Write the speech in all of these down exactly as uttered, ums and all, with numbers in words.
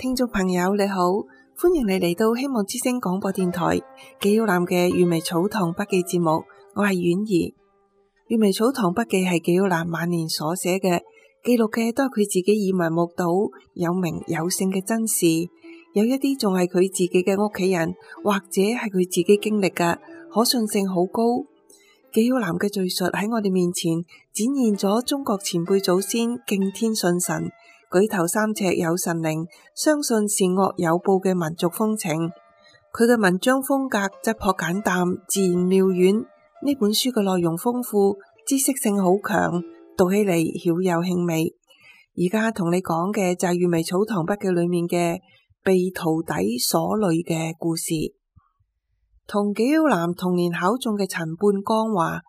聽眾朋友你好，歡迎你嚟到希望之聲廣播電台紀曉嵐嘅閱微草堂筆記節目，我係婉兒。閱微草堂筆記係紀曉嵐晚年所寫嘅，記錄嘅都係佢自己耳聞目睹有名有姓嘅真事，有一啲仲係佢自己嘅屋企人或者係佢自己經歷嘅，可信性好高。紀曉嵐嘅敘述喺我哋面前展現咗中國前輩祖先敬天信神、舉頭三尺有神靈，相信善惡有報嘅民族風情。佢嘅文章風格質樸簡淡，自然妙遠。呢本書嘅內容豐富，知識性好強，讀起嚟曉有興味。而家同你講嘅就係閱微草堂筆記裏面嘅被徒弟所累嘅故事。同紀曉嵐同年考中嘅陳半江話，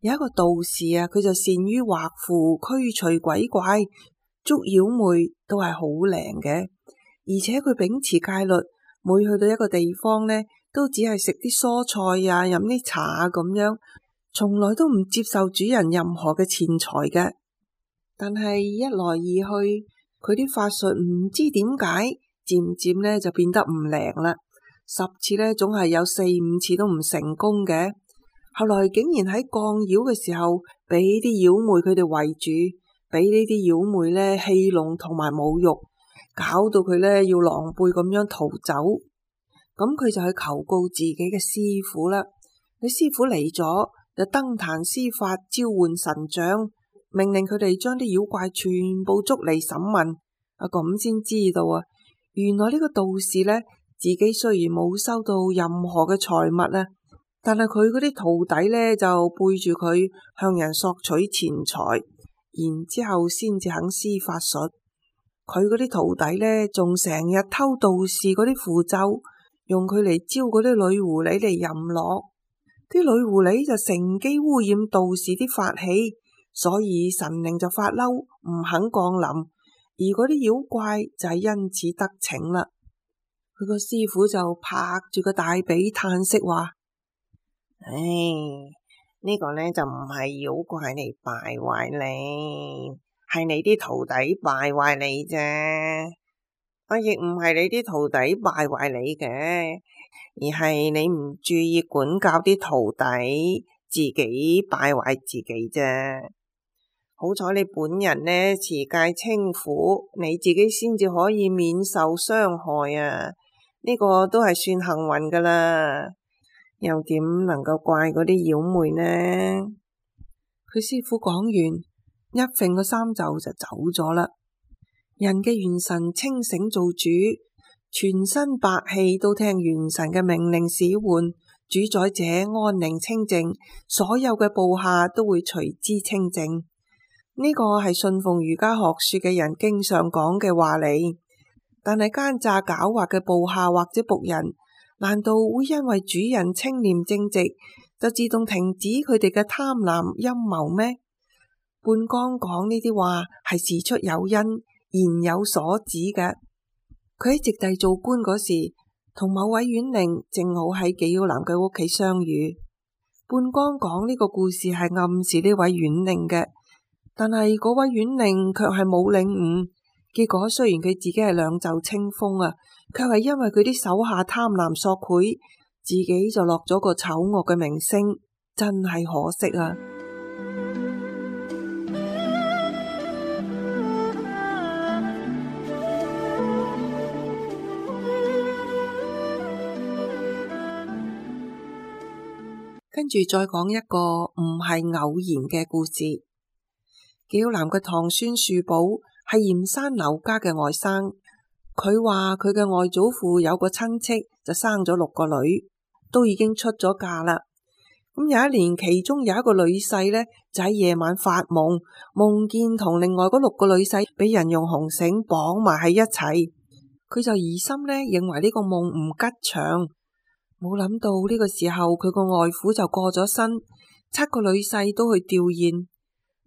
有一個道士啊，佢就善於畫符驅除鬼怪，捉妖魅都係好靈嘅，而且佢秉持戒律，每去到一個地方呢，都只係食啲蔬菜啊，飲啲茶啊咁樣，從來都唔接受主人任何嘅錢財嘅。但係一來二去，佢啲法術唔知點解，漸漸呢就變得唔靈啦。十次呢，總係有四五次都唔成功嘅。後來竟然喺降妖嘅時候，俾啲妖魅佢哋圍住，俾呢啲妖魅呢戲弄同埋侮辱，搞到佢呢要狼狽咁樣逃走。咁佢就去求告自己嘅師傅啦。佢師傅嚟咗，就登壇施法，召喚神將，命令佢哋將啲妖怪全部捉嚟審問。啊，咁先知道啊，原來呢個道士呢，自己雖然冇收到任何嘅財物啊，但係佢嗰啲徒弟呢，就背住佢向人索取錢財，然之後先至肯施法術。佢嗰啲徒弟呢，仲成日偷道士嗰啲符咒，用佢嚟招嗰啲女狐狸嚟淫樂。啲女狐狸就乘機污染道士啲法器，所以神靈就發嬲，唔肯降臨，而嗰啲妖怪就係因此得逞啦。佢個師傅就拍住個大髀嘆息話：唉，呢個呢就唔係妖怪嚟敗壞你，係你啲徒弟敗壞你啫。我亦唔係你啲徒弟敗壞你嘅，而係你唔注意管教啲徒弟，自己敗壞自己啫。好彩你本人呢持戒清苦，你自己先至可以免受傷害啊！呢個都係算幸運噶啦，又點能夠怪嗰啲妖魅呢？佢師傅講完，一揈個衫袖就走咗啦。人嘅元神清醒做主，全身百氣都聽元神嘅命令使喚，主宰者安寧清靜，所有嘅部下都會隨之清靜。呢個係信奉儒家學說嘅人經常講嘅話嚟。但係奸詐狡猾嘅部下或者僕人，難道會因為主人清廉正直就自動停止佢哋嘅貪婪陰謀咩？半江講呢啲話係事出有因，言有所指嘅。佢喺直隸做官嗰時，同某位縣令正好喺紀曉嵐嘅屋企相遇。半江講呢個故事係暗示呢位縣令嘅，但係嗰位縣令卻係冇領悟。結果雖然佢自己係兩袖清風啊，卻係因為佢啲手下貪婪索賄，自己就落咗個醜惡嘅名聲，真係可惜啊！跟住再講一個唔係偶然嘅故事。紀曉嵐嘅堂孫樹寶係鹽山劉家嘅外甥，佢話佢嘅外祖父有個親戚就生咗六個女，都已經出咗嫁啦。咁有一年，其中有一個女婿呢，就喺夜晚發夢，夢見同另外嗰六個女婿俾人用紅繩綁埋喺一齊，佢就疑心呢，認為呢個夢唔吉祥，冇諗到呢個時候佢個外父就過咗身，七個女婿都去吊唁。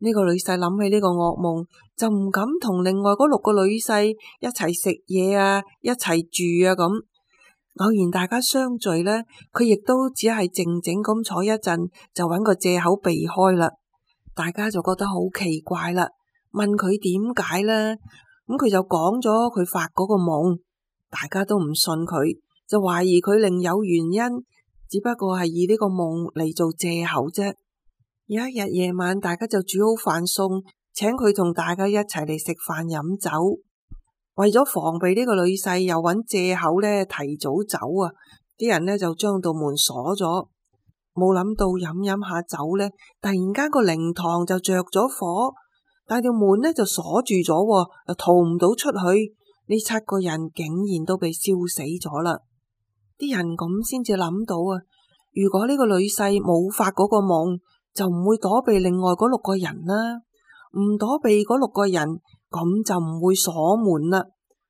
呢個女婿諗起呢個噩夢，就唔敢同另外嗰六個女婿一齊食嘢啊，一齊住啊咁。偶然大家相聚呢，佢亦都只係靜靜咁坐一陣，就揾個借口避開啦。大家就覺得好奇怪啦，問佢點解呢？咁佢就講咗佢發嗰個夢，大家都唔信佢，就懷疑佢另有原因，只不過係以呢個夢嚟做借口啫。有一日夜晚，大家就煮好飯餸，請佢同大家一齊嚟食飯飲酒。為咗防備呢個女婿又揾借口咧提早走啊，啲人咧就將道門鎖咗。冇諗到飲飲下酒咧，突然間個靈堂就着咗火，但條門咧就鎖住咗，又逃唔到出去。呢七個人竟然都被燒死咗啦！啲人咁先至諗到啊，如果呢個女婿冇發嗰個夢，就唔會躲避另外嗰六個人啦。唔躲避嗰六個人，咁就唔會鎖門啦。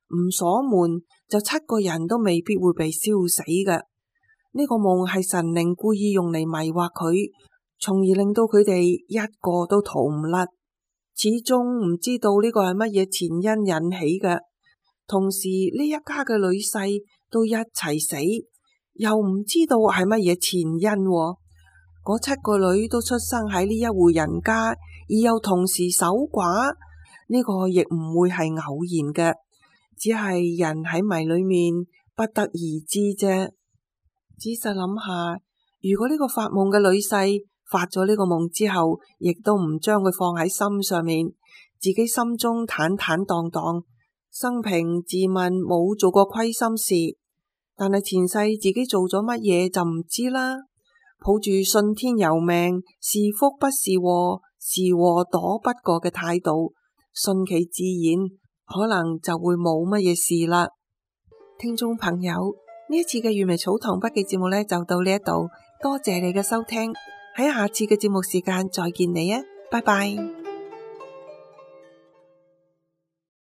唔鎖門，就七個人都未必會被燒死嘅。呢個夢係神靈故意用嚟迷惑佢，從而令到佢哋一個都逃唔甩。始終唔知道呢個係乜嘢前因引起嘅。同時呢一家嘅女婿都一齊死，又唔知道係乜嘢前因。嗰七個女都出生喺呢一戶人家，而又同時守寡，呢個亦唔會係偶然嘅，只係人喺迷裏面不得而知啫。仔細諗下，如果呢個發夢嘅女婿發咗呢個夢之後，亦都唔將佢放喺心上面，自己心中坦坦蕩蕩，生平自問冇做過虧心事，但係前世自己做咗乜嘢就唔知啦。抱住信天由命，是福不是禍，是禍躲不過嘅態度，順其自然，可能就會冇乜嘢事啦。聽眾朋友，呢一次嘅閱微草堂筆記節目呢，就到呢一度，多謝你嘅收聽，喺下次嘅節目時間再見你啊，拜拜。